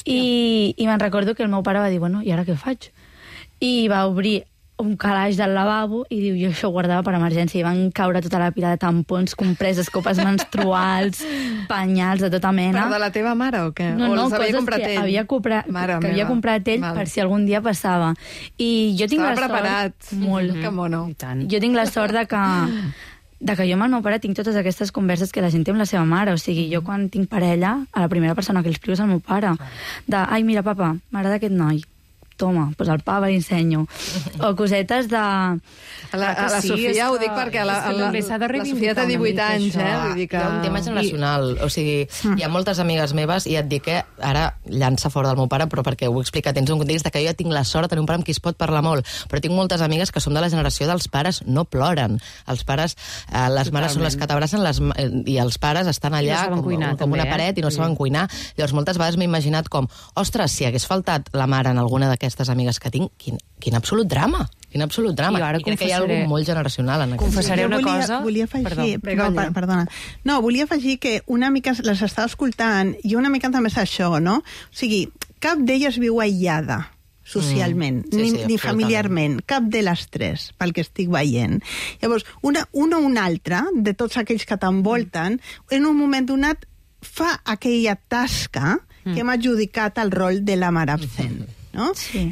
I me'n recordo que el meu pare va dir, bueno, i ara què faig? I va obrir un calaix del lavabo i diu, jo això ho guardava per emergència, i van caure tota la pila de tampons, compreses, copes menstruals, penyals de tota mena. Però de la teva mare o què? No, coses que havia comprat ell per si algun dia passava. I jo tinc Estava preparat. Molt. Que mono. Jo tinc la sort de que jo amb el meu pare tinc totes aquestes converses que la gent té amb la seva mare. O sigui, jo quan tinc parella, a la primera persona que li explico és el meu pare. Ai, mira, papa, m'agrada aquest noi. Toma, doncs el papa l'ensenyo. O cosetes de... A la Sofia ho dic perquè la Sofia té 18 anys, vull dir que... Hi ha un tema generacional, o sigui, hi ha moltes amigues meves, i et dic que ara llança fora del meu pare, però perquè ho he explicat, tens un context que jo ja tinc la sort de tenir un pare amb qui es pot parlar molt, però tinc moltes amigues que són de la generació dels pares no ploren. Els pares, les mares són les que t'abracen i els pares estan allà com una paret i no saben cuinar. Llavors, moltes vegades m'he imaginat com, ostres, si hagués faltat la mare en alguna d'aquestes amigues que tinc, quin absolut drama. Quin absolut drama. I crec que hi ha alguna molt generacional en aquest. Confessaré una cosa... Volia afegir... Perdona. No, volia afegir que una mica les estava escoltant i una mica també és això, no? O sigui, cap d'elles viu aïllada socialment, ni familiarment, cap de les tres, pel que estic veient. Llavors, una o una altra, de tots aquells que t'envolten, en un moment donat fa aquella tasca que m'ha adjudicat el rol de la mare absent. No? Sí.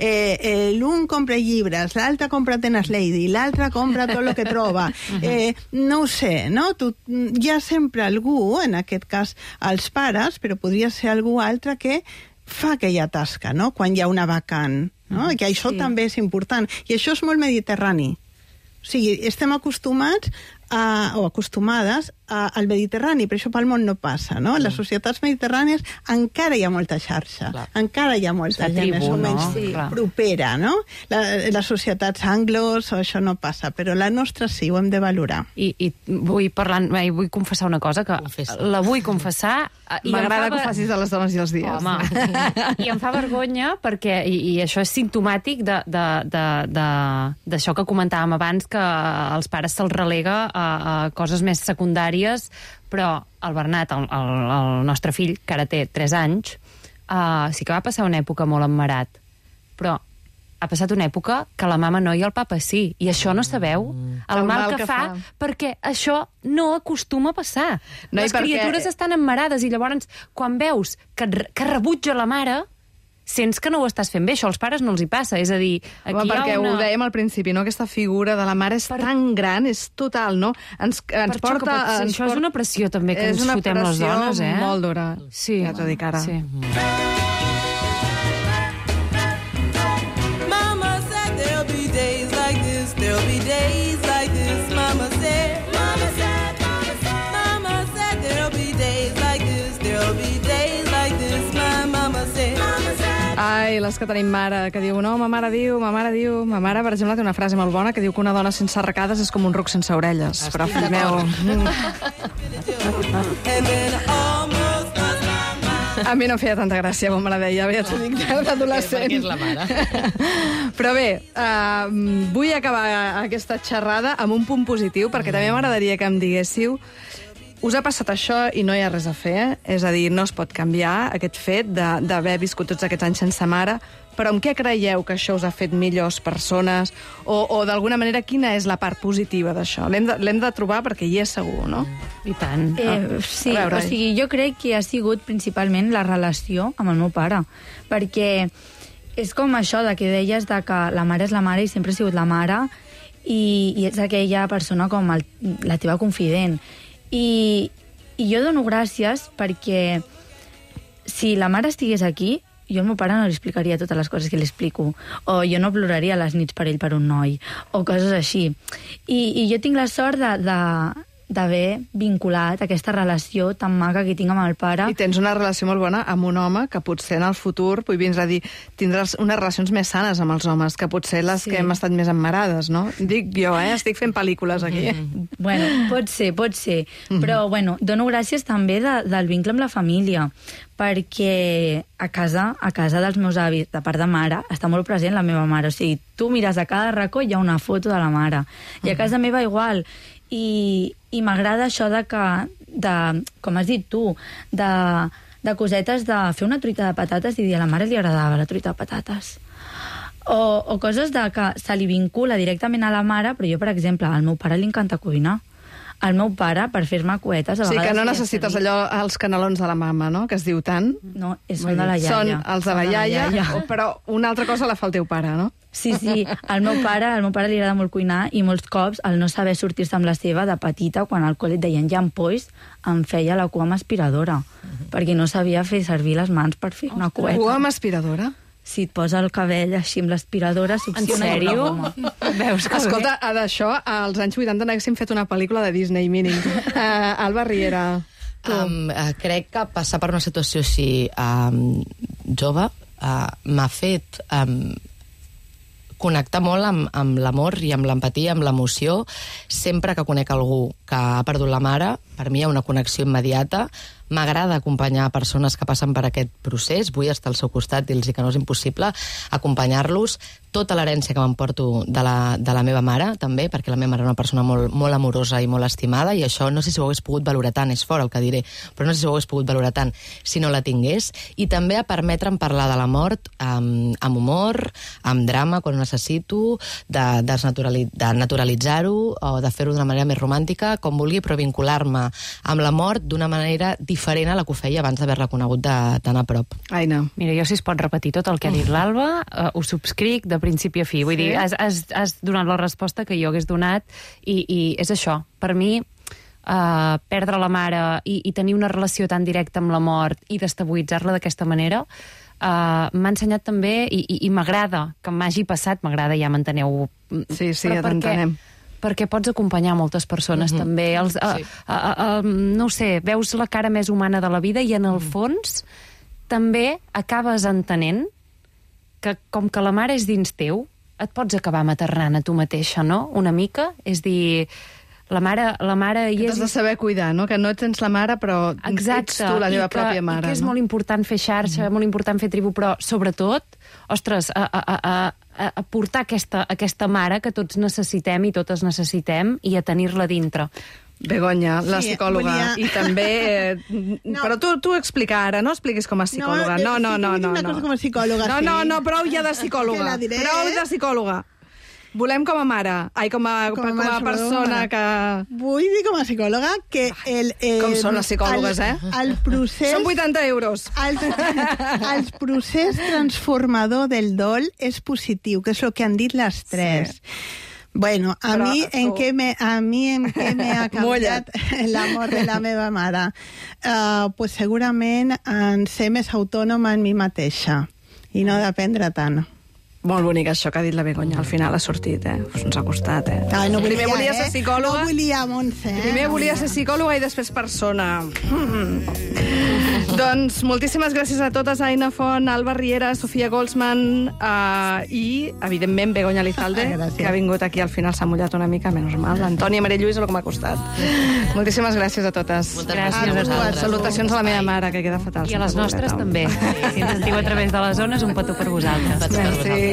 L'un compra llibres, l'altre compra Tennis Lady, l'altre compra tot el que troba. No ho sé, no? Hi ha sempre algú, en aquest cas els pares, però podria ser algú altre que fa aquella tasca, no? Quan hi ha una vacant, no? Que això també és important. I això és molt mediterrani. O sigui, estem acostumats o acostumades al Mediterrani, però això pel món no passa, no? En les societats mediterrànies encara hi ha molta xarxa, encara hi ha molta gent més o menys propera, no? Les societats anglos, això no passa, però la nostra sí, ho hem de valorar. I vull confessar una cosa, que la vull confessar... M'agrada que ho facis de les dones i els dies. Home, i em fa vergonya perquè, i això és simptomàtic d'això que comentàvem abans, que als pares se'ls relega a coses més secundàries, però el Bernat, el nostre fill, que ara té 3 anys, sí que va passar una època molt emmarat, però ha passat una època que la mama no i el papa sí, i això no sabeu el mal que fa, perquè això no acostuma a passar. Les criatures estan emmarades i llavors quan veus que rebutja la mare, sents que no ho estàs fent bé. Això als pares no els hi passa. És a dir, aquí perquè ho dèiem al principi, no? Aquesta figura de la mare és tan gran, és total, no? Ens porta... Això és una pressió també que ens fotem les dones, És una pressió molt dura. Sí, ja t'ho dic ara. Sí. Mama said there'll be days like this, there'll be days like this. Mama said there'll be days like this, there'll be days like this. My mama said... Ai, les que tenim mare, que diu, no, ma mare diu... Ma mare, per exemple, té una frase molt bona que diu que una dona sense arracades és com un ruc sense orelles. Però, fill meu... A mi no feia tanta gràcia, com me la deia, ja t'ho dic, d'adolescent. Perquè és la mare. Però bé, vull acabar aquesta xerrada amb un punt positiu, perquè també m'agradaria que em diguéssiu us ha passat això i no hi ha res a fer, és a dir, no es pot canviar aquest fet d'haver viscut tots aquests anys sense mare, però amb què creieu que això us ha fet millors persones? O d'alguna manera, quina és la part positiva d'això? L'hem de trobar perquè hi és segur, no? I tant. Sí, o sigui, jo crec que ha sigut principalment la relació amb el meu pare, perquè és com això de que deies de que la mare és la mare i sempre ha sigut la mare i és aquella persona com la teva confident. I jo dono gràcies perquè si la mare estigués aquí, jo al meu pare no li explicaria totes les coses que li explico, o jo no ploraria a les nits per ell per un noi, o coses així. I jo tinc la sort d'haver vinculat aquesta relació tan maca que tinc amb el pare. I tens una relació molt bona amb un home que potser en el futur, vindràs a dir, tindràs unes relacions més sanes amb els homes, que potser les que hem estat més emmarades, no? Dic jo, estic fent pel·lícules aquí. Bueno, pot ser. Però, bueno, dono gràcies també del vincle amb la família, perquè a casa dels meus avis, de part de mare, està molt present la meva mare. O sigui, tu mires a cada racó i hi ha una foto de la mare. I a casa meva igual. I m'agrada això com has dit tu, de cosetes de fer una truita de patates i dir a la mare li agradava la truita de patates. O coses de que se li vincula directament a la mare, però jo, per exemple, al meu pare li encanta cuinar. Al meu pare, per fer-me cuetes... Sí, que no necessites allò, els canelons de la mama, no?, que es diu tant. No, són de la iaia. Són els de la iaia, però una altra cosa la fa el teu pare, no? Sí, al meu pare li agrada molt cuinar i molts cops, al no saber sortir-se amb la seva, de petita, quan al col·le et deien llampolls, em feia la cua amb aspiradora, perquè no sabia fer servir les mans per fer una cueta. Cua amb aspiradora? Si et posa el cabell així amb l'aspiradora, succiona. En sèrio? Veus que escolta, d'això, als anys 80 n'haguéssim fet una pel·lícula de Disney, mínim. Alba Riera, tu. Crec que passar per una situació així jove m'ha fet connectar molt amb l'amor i amb l'empatia, amb l'emoció. Sempre que conec algú que ha perdut la mare, per mi hi ha una connexió immediata. M'agrada acompanyar persones que passen per aquest procés, vull estar al seu costat, dir-los que no és impossible, acompanyar-los. Tota l'herència que m'emporto de la meva mare, també, perquè la meva mare era una persona molt, molt amorosa i molt estimada, i això no sé si ho hagués pogut valorar tant, és fort el que diré, però no sé si ho hagués pogut valorar tant si no la tingués. I també a permetre'm parlar de la mort amb humor, amb drama, quan ho necessito, de naturalitzar-ho, o de fer-ho d'una manera més romàntica, com vulgui, però vincular-me amb la mort d'una manera diferent a la que ho feia abans d'haver-la conegut de tan a prop. Aina. Mira, jo si es pot repetir tot el que ha dit l'Alba, ho subscric de principi a fi. Vull dir, has donat la resposta que jo hagués donat i és això. Per mi, perdre la mare i tenir una relació tan directa amb la mort i destabilitzar-la d'aquesta manera m'ha ensenyat també, i m'agrada que m'hagi passat, m'agrada, ja m'enteneu. Sí, ja t'entenem. Perquè pots acompanyar moltes persones també. No ho sé, veus la cara més humana de la vida i en el fons també acabes entenent que com que la mare és dins teu, et pots acabar maternant a tu mateixa, no? Una mica. És dir, la mare hi és... T'has de saber cuidar, no? Que no tens la mare, però ets tu la teva pròpia mare. I que és molt important fer xarxa, molt important fer tribu, però sobretot, ostres, a portar aquesta mare que tots necessitem i totes necessitem i a tenir-la dintre. Begoña, la psicòloga, i també... Però tu explica ara, no expliquis com a psicòloga. No. Una cosa com a psicòloga, No, prou ja de psicòloga. Prou de psicòloga. Volem com a mare, com a persona que... Vull dir com a psicòloga que com són les psicòlogues, el procés... Són 80 euros. El procés transformador del dol és positiu, que és el que han dit les tres. Sí. Bueno, a mi en què me ha canviat l'amor de la meva mare? Pues segurament en ser més autònoma en mi mateixa i no dependre tant. Molt bonic això que ha dit la Begoña. Al final ha sortit, ens ha costat, Primer volia ser psicòloga. No volia, Montse. Primer volia ser psicòloga i després persona. Doncs moltíssimes gràcies a totes, Aina Font, Alba Riera, Sofia Goldsman i, evidentment, Begoña Lizalde, que ha vingut aquí al final, s'ha mullat una mica, menys mal. Antònia Maria Lluís, el que m'ha costat. Moltíssimes gràcies a totes. Moltes gràcies a vosaltres. Salutacions a la meva mare, que queda fatal. I a les nostres també. Si ens diu a través de les zones, un petó per vosaltres. Merci.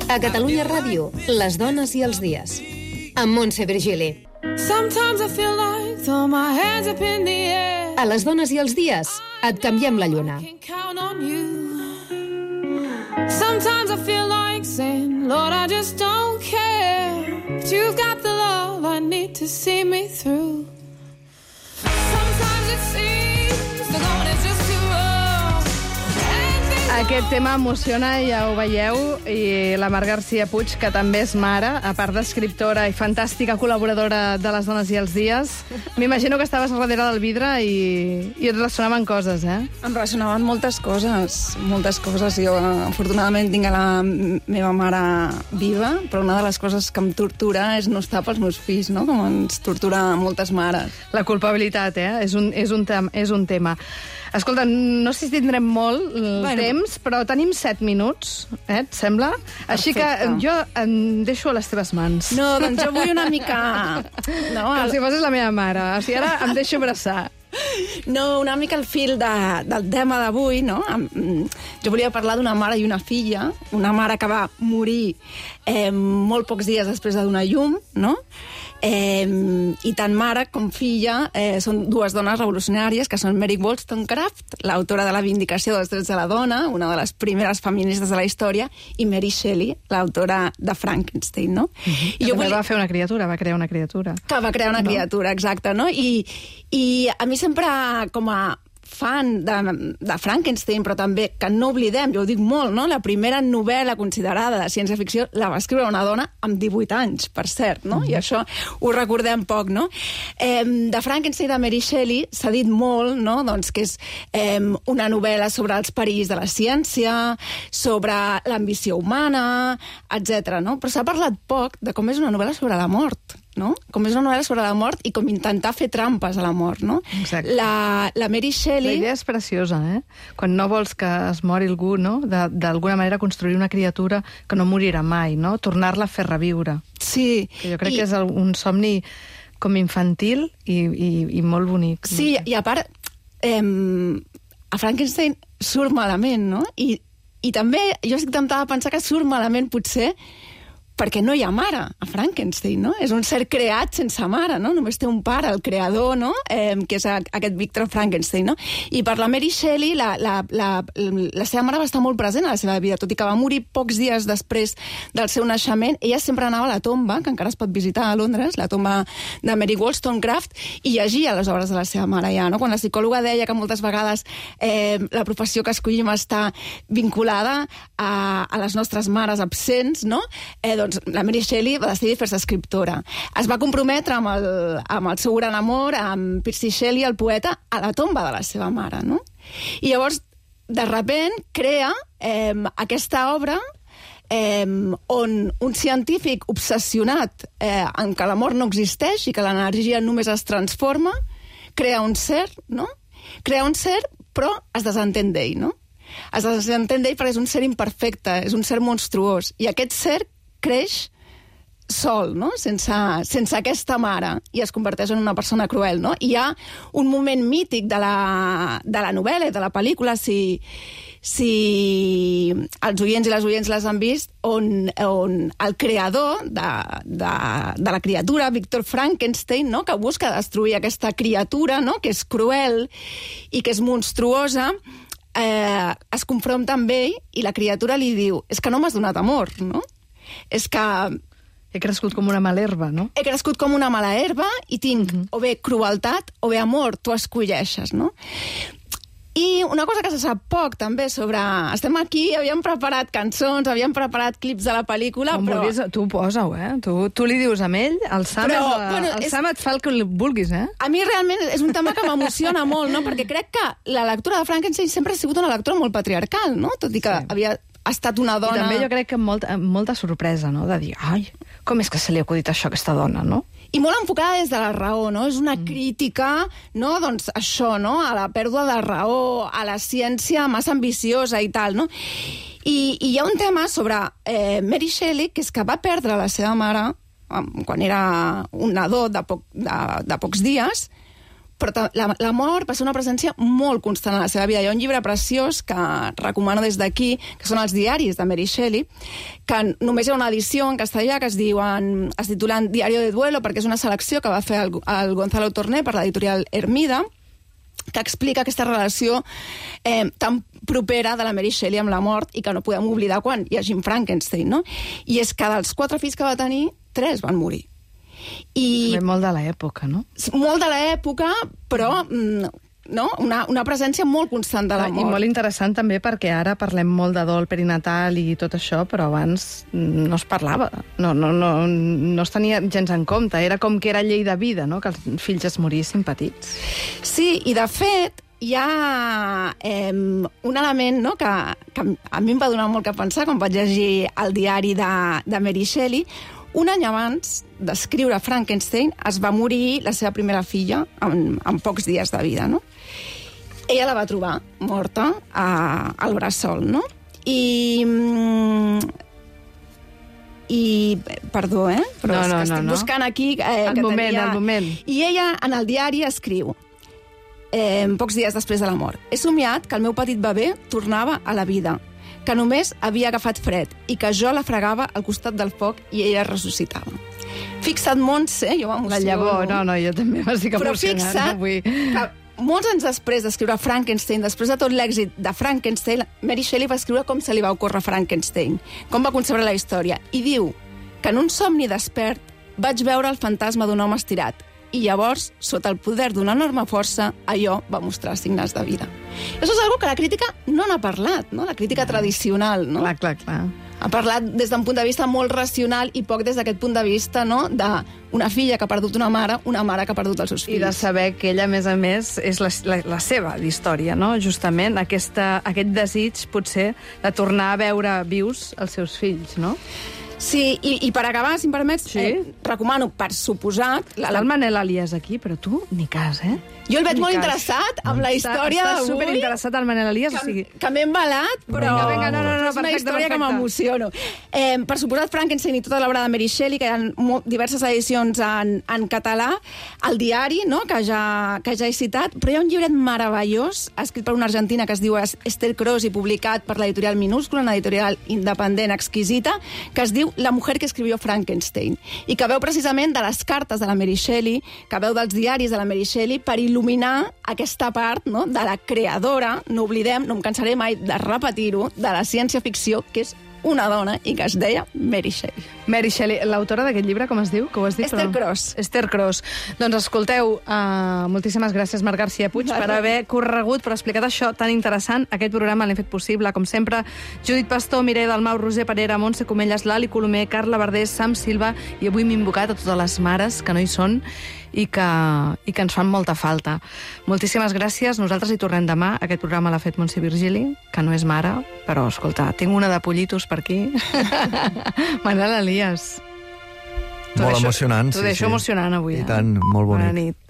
A Catalunya Ràdio, les dones i els dies. Amb Montse Virgili. Sometimes I feel like throw my hands up in the air. A les dones i els dies, et canviem la lluna. Can count on you. Sometimes I feel like saying, Lord, I just don't care. But you've got the love I need to see me through. Sometimes it seems the going is just too rough. Aquest tema emociona, ja ho veieu, i la Mar García Puig, que també és mare, a part d'escriptora i fantàstica col·laboradora de Les dones i els dies. M'imagino que estaves darrere del vidre i et ressonaven coses, eh? Em ressonaven moltes coses. Jo, afortunadament, tinc a la meva mare viva, però una de les coses que em tortura és no estar pels meus fills, no? Com ens tortura moltes mares. La culpabilitat, és un tema. Escolta, no sé si tindrem molt temps, però tenim 7 minuts, et sembla? Perfecte. Així que jo em deixo a les teves mans. No, doncs jo vull una mica... No, com si fossis la meva mare. O sigui, ara em deixo abraçar. No, una mica el fil del tema d'avui, no? Jo volia parlar d'una mare i una filla, una mare que va morir molt pocs dies després de donar llum, no? I tant mare com filla són dues dones revolucionàries, que són Mary Wollstonecraft, l'autora de La vindicació dels drets de la dona, una de les primeres feministes de la història, i Mary Shelley, l'autora de Frankenstein, no? I també va fer una criatura, va crear una criatura. Que va crear una criatura, exacte, no? I a mi sempre, com a fan de Frankenstein, però també que no oblidem, jo ho dic molt, no? La primera novel·la considerada de ciència-ficció la va escriure una dona amb 18 anys, per cert, no? I això ho recordem poc, no? De Frankenstein de Mary Shelley s'ha dit molt, no? Doncs que és una novel·la sobre els perills de la ciència, sobre l'ambició humana, etc. no? Però s'ha parlat poc de com és una novel·la sobre la mort, no? Com és una novel·la sobre la mort i com intentar fer trampes a la mort, no? Exacte. La Mary Shelley... La idea és preciosa, Quan no vols que es mori algú, no? D'alguna manera construir una criatura que no morirà mai, no? Tornar-la a fer reviure. Sí. Que jo crec que és un somni com infantil i molt bonic. Sí, i a part, a Frankenstein surt malament, no? I també jo estic temptada a pensar que surt malament, potser, perquè no hi ha mare a Frankenstein, no? És un ser creat sense mare, no? Només té un pare, el creador, no? Que és aquest Victor Frankenstein, no? I per la Mary Shelley, la seva mare va estar molt present a la seva vida, tot i que va morir pocs dies després del seu naixement. Ella sempre anava a la tomba, que encara es pot visitar a Londres, la tomba de Mary Wollstonecraft, i llegia les obres de la seva mare ja, no? Quan la psicòloga deia que moltes vegades la professió que escollim està vinculada a les nostres mares absents, no? Doncs la Mary Shelley va decidir fer-se escriptora. Es va comprometre amb el seu gran amor, amb Percy Shelley, el poeta, a la tomba de la seva mare, no? I llavors, de repent, crea aquesta obra on un científic obsessionat en que la mort no existeix i que l'energia només es transforma, crea un ser, no? Crea un ser, però es desentén d'ell, no? Es desentén d'ell perquè és un ser imperfecte, és un ser monstruós. I aquest ser creix sol, no? Sense aquesta mare, i es converteix en una persona cruel, no? I hi ha un moment mític de la novel·la i de la pel·lícula, si els oients i les oients les han vist, on el creador de la criatura, Victor Frankenstein, no? Que busca destruir aquesta criatura, no? Que és cruel i que és monstruosa, es confronta amb ell i la criatura li diu: és que no m'has donat amor, no? És que... He crescut com una mala herba, no? He crescut com una mala herba i tinc o bé crueltat o bé amor, tu escolleixes, no? I una cosa que se sap poc, també, sobre... Estem aquí, havíem preparat cançons, havíem preparat clips de la pel·lícula, però... Vulguis, tu posa-ho, Tu li dius a ell, el Sam et fa el que vulguis, A mi realment és un tema que m'emociona molt, no? Perquè crec que la lectura de Frankenstein sempre ha sigut una lectura molt patriarcal, no? Tot i que havia estat una dona... I també jo crec que amb molta sorpresa, no? De dir, ai, com és que se li ha acudit això a aquesta dona, no? I molt enfocada des de la raó, no? És una crítica, no? Doncs això, no? A la pèrdua de raó, a la ciència massa ambiciosa i tal, no? I hi ha un tema sobre Mary Shelley, que és que va perdre la seva mare quan era un nadó de pocs dies, però la mort va ser una presència molt constant a la seva vida. Hi ha un llibre preciós que recomano des d'aquí, que són els diaris de Mary Shelley, que només hi ha una edició en castellà que es titulen Diario de Duelo, perquè és una selecció que va fer el Gonzalo Torné per l'editorial Hermida, que explica aquesta relació tan propera de la Mary Shelley amb la mort i que no podem oblidar quan hi ha Jim Frankenstein, no? I és que dels 4 fills que va tenir, 3 van morir. I molt de l'època, no? Molt de l'època, però no? Una presència molt constant de la mort. I molt interessant també perquè ara parlem molt de dol perinatal i tot això, però abans no es parlava. No es tenia gens en compte. Era com que era llei de vida, no? Que els fills es morissin petits. Sí, i de fet hi ha un element, no?, que a mi em va donar molt que pensar quan vaig llegir el diari de Mary Shelley. Un any abans d'escriure Frankenstein es va morir la seva primera filla en pocs dies de vida, no? Ella la va trobar morta al bressol, no? I perdó, però és que estic buscant aquí... El moment. I ella en el diari escriu, pocs dies després de la mort, he somiat que el meu petit bebè tornava a la vida, que només havia agafat fred i que jo la fregava al costat del foc i ella ressuscitava. Fixa't, Montse, jo m'emociono. La llavor, jo també m'estic emocionant. Però fixa't que molts anys després d'escriure Frankenstein, després de tot l'èxit de Frankenstein, Mary Shelley va escriure com se li va ocórrer Frankenstein, com va concebre la història, i diu que en un somni despert vaig veure el fantasma d'un home estirat, i llavors, sota el poder d'una enorme força, allò va mostrar signes de vida. Això és una que la crítica no n'ha parlat, no? La crítica tradicional, no? Clar. Ha parlat des d'un punt de vista molt racional i poc des d'aquest punt de vista, no?, d'una filla que ha perdut una mare que ha perdut els seus fills. I de saber que ella, a més, és la seva història, no? Justament aquest desig, potser, de tornar a veure vius els seus fills, no? Sí, i per acabar, si em permets, recomano, per suposat... El Manel Elias aquí, però tu ni cas, Jo el veig molt interessat amb la història d'avui. Està superinteressat el Manel Elias, o sigui... Que m'he embalat, però... Vinga, no, és una història que m'emociono. Per suposat, Frankenstein i tota l'obra de Mary Shelley, que hi ha diverses edicions en català, el diari, no?, que ja he citat, però hi ha un llibret meravellós, escrit per una argentina que es diu Esther Cross i publicat per l'editorial Minúscula, una editorial independent exquisita, que es diu La mujer que escribió Frankenstein, i que veu precisament de les cartes de la Mary Shelley, que veu dels diaris de la Mary Shelley, per il·luminar aquesta part, no?, de la creadora, no oblidem, no em cansaré mai de repetir-ho, de la ciència-ficció, que és una dona i que es deia Mary Shelley. Mary Shelley, l'autora d'aquest llibre, com es diu? Que ho has dit, Esther Cross. Esther Cross. Doncs escolteu, moltíssimes gràcies, Marc García Puig, per haver corregut, per explicar això tan interessant. Aquest programa l'hem fet possible, com sempre, Judit Pastor, Mireia Dalmau, Roser Parera, Montse Comelles, Lali Colomer, Carla Verdés, Sam Silva, i avui m'he invocat a totes les mares que no hi són i que ens fan molta falta. Moltíssimes gràcies. Nosaltres hi tornem demà. Aquest programa l'ha fet Montse Virgili, que no és mare, però, escolta, tinc una de pollitos per aquí. Manel Elias. Molt emocionant, T'ho deixo emocionant avui. I tant, molt bonic. Bona nit.